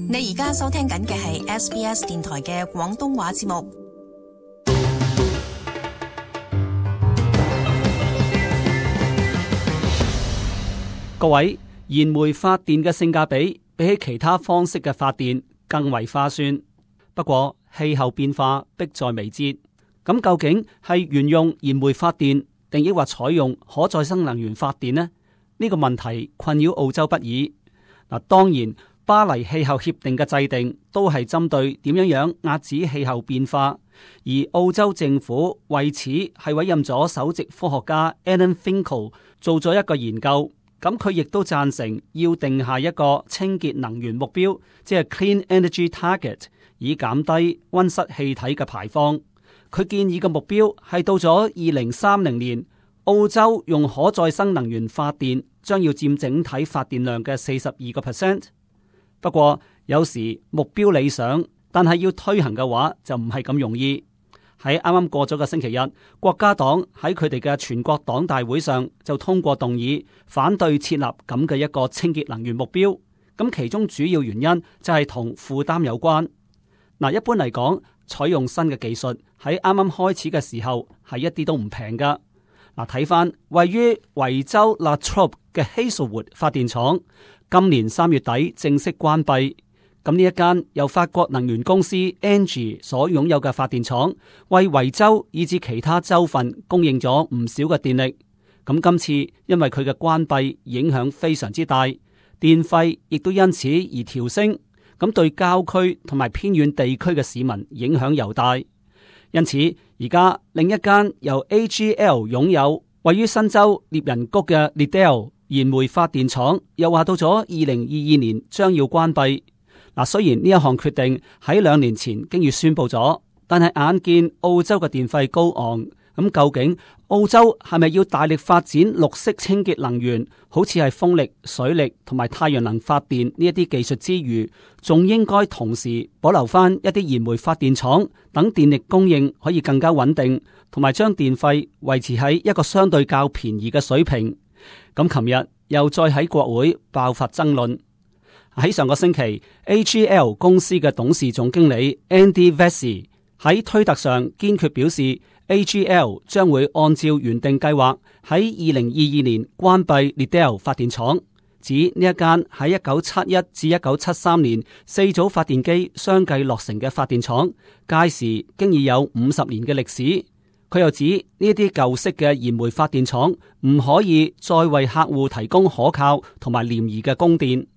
你而家收聽緊嘅係 SBS 電台嘅廣東話節目。各位，燃煤發電嘅性價比比起其他方式嘅發電更為划算。不過氣候變化迫在眉睫，咁究竟係沿用燃煤發電，定抑或採用可再生能源發電呢？呢個問題困擾澳洲不已。嗱，當然巴黎氣候協定嘅制定都係針對點樣遏止氣候變化，而澳洲政府為此係委任咗首席科學家 Alan Finkel 做咗一個研究。咁佢亦都贊成要定下一個清潔能源目標，即係 Clean Energy Target， 以減低溫室氣體嘅排放。佢建議嘅目標係到咗2030年，澳洲用可再生能源發電將要佔整體發電量嘅42%。不過有時目標理想，但係要推行嘅話就唔係咁容易。喺啱啱過咗個星期日，國家黨喺佢哋嘅全國黨大會上就通過動議，反對設立咁嘅一個清潔能源目標。咁其中主要原因就係同負擔有關。嗱，一般嚟講，採用新嘅技術喺啱啱開始嘅時候係一啲都唔平噶。嗱，睇翻位於維州 La Trobe 嘅 Hazelwood 發電廠，今年3月底正式關閉。咁呢一間由法國能源公司 Engie 所擁有嘅發電廠，為維州以至其他州份供應咗唔少嘅電力。咁今次因為佢嘅關閉影響非常之大，電費亦都因此而調升。咁對郊區同埋偏遠地區嘅市民影響尤大。因此而家另一間由 AGL 擁有位於新州獵人谷嘅 Liddell 燃煤發電廠，又話到咗2022年將要關閉。嗱，雖然呢一項決定喺2年前經已宣布咗，但係眼見澳洲嘅電費高昂，咁究竟澳洲係咪要大力發展綠色清潔能源，好似係風力、水力同埋太陽能發電呢一啲技術之餘，仲應該同時保留翻一啲燃煤發電廠，等電力供應可以更加穩定，同埋將電費維持喺一個相對較便宜嘅水平。咁琴日又再喺國會爆發爭論。喺上個星期 AGL 公司嘅董事總經理 Andy Vesey 喺推特上堅決表示 AGL 將會按照原定計劃喺2022年關閉 Liddell 發電廠，指呢一間喺1971至1973年4組發電機相繼落成嘅發電廠，屆時經已有50年嘅歷史。佢又指呢啲舊式嘅燃煤發電廠唔可以再為客戶提供可靠同埋廉宜嘅供電。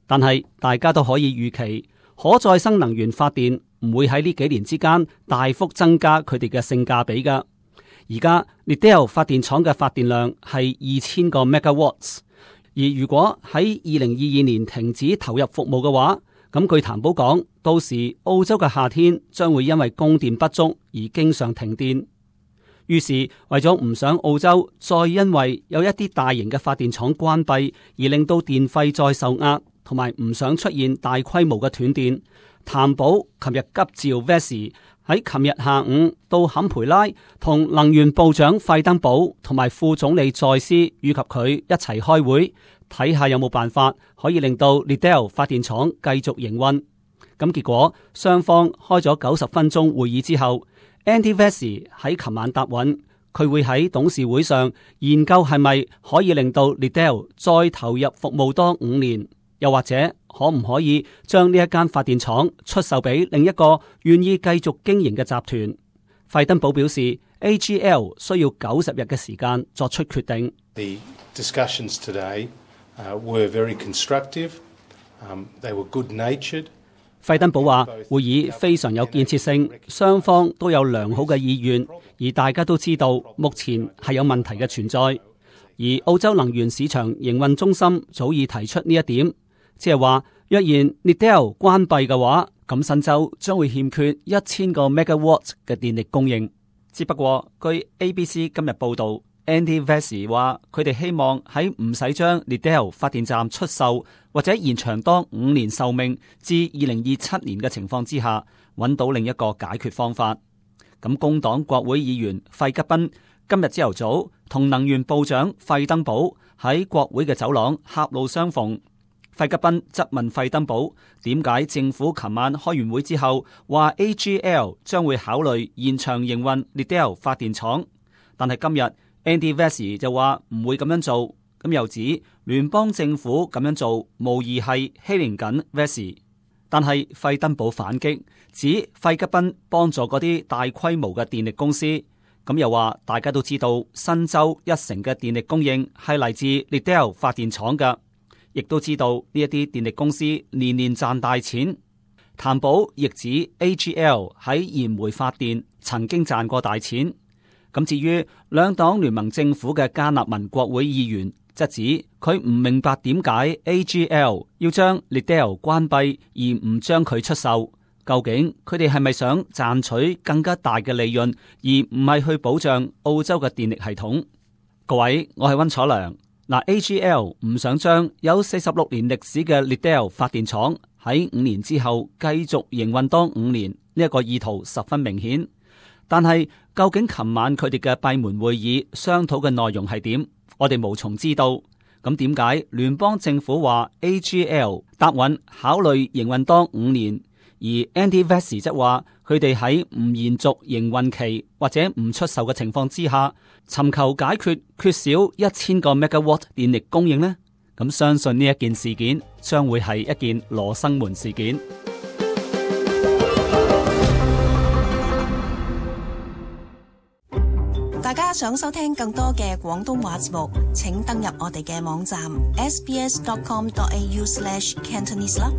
但係大家都可以預期，可再生能源發電唔會喺呢幾年之間大幅增加佢哋嘅性價比噶。而家 Liddell 發電廠嘅發電量係2000個 megawatts， 而如果喺2022年停止投入服務嘅話，咁據談保講，到時澳洲嘅夏天將會因為供電不足而經常停電。於是為咗唔想澳洲再因為有一啲大型嘅發電廠關閉而令到電費再受壓，同埋唔想出現大規模嘅斷電，譚寶琴日急召 Vesey 喺琴日下午到坎培拉同能源部長費登堡同埋副總理再斯以及佢一齊開會，睇下有冇辦法可以令到 Liddell 發電廠繼續營運。咁結果雙方開咗90分鐘會議之後， Andy Vesey 喺琴晚答允，佢會喺董事會上研究係咪可以令到 Liddell 再投入服務多5年。又或者可唔可以將呢一間發電廠出售俾另一個願意繼續經營嘅集團？費登堡表示 AGL 需要90日嘅時間作出決定。The discussions today were very constructive. They were good-natured. 費登堡話會議非常有建設性，雙方都有良好嘅意願，而大家都知道目前係有問題嘅存在。而澳洲能源市場營運中心早已提出呢一點。即係話，若然 Liddell 關閉嘅話，咁新州將會欠缺1000個 megawatt 嘅電力供應。只不過，據 ABC 今日報道 ，Andy Vesey 話佢哋希望喺唔使將 Liddell 發電站出售或者延長多5年壽命至2027年嘅情況之下，揾到另一個解決方法。咁工黨國會議員費吉賓今日朝頭早同能源部長費登堡喺國會嘅走廊狹路相逢。費吉賓質問費登堡點解政府琴晚開完會之後話 AGL 將會考慮延長營運 Liddell 發電廠，但係今日 Andy Vesey 就話唔會咁樣做，咁又指聯邦政府咁樣做無疑係欺凌緊 Vesey。但係費登堡反擊，指費吉賓幫助嗰啲大規模嘅電力公司，咁又話大家都知道新州1成嘅電力供應係嚟自 Liddell 發電廠嘅。亦都知道呢一啲電力公司年年賺大錢。譚寶亦指 AGL 喺燃煤發電曾經賺過大錢。咁至於兩黨聯盟政府嘅加納民國會議員，則指佢唔明白點解 AGL 要將 Liddell 關閉而唔將佢出售。究竟佢哋係咪想賺取更加大嘅利潤，而唔係去保障澳洲嘅電力系統？各位，我係溫楚良。AGL 唔想將有46年歷史嘅 Liddell 發電廠喺5年之後繼續營運多5年，呢一個意圖十分明顯。但係究竟琴晚佢哋嘅閉門會議商討嘅內容係點？我哋無從知道。咁點解聯邦政府話 AGL 答允考慮營運多5年，而 Andy Vesey 則話佢哋喺唔延續營運期或者唔出售嘅情況之下，尋求解決缺少1000個 megawatt 電力供應呢？咁相信呢一件事件將會係一件羅生門事件。大家想收聽更多嘅廣東話節目，請登入我哋嘅網站 sbs.com.au/cantonese 啦。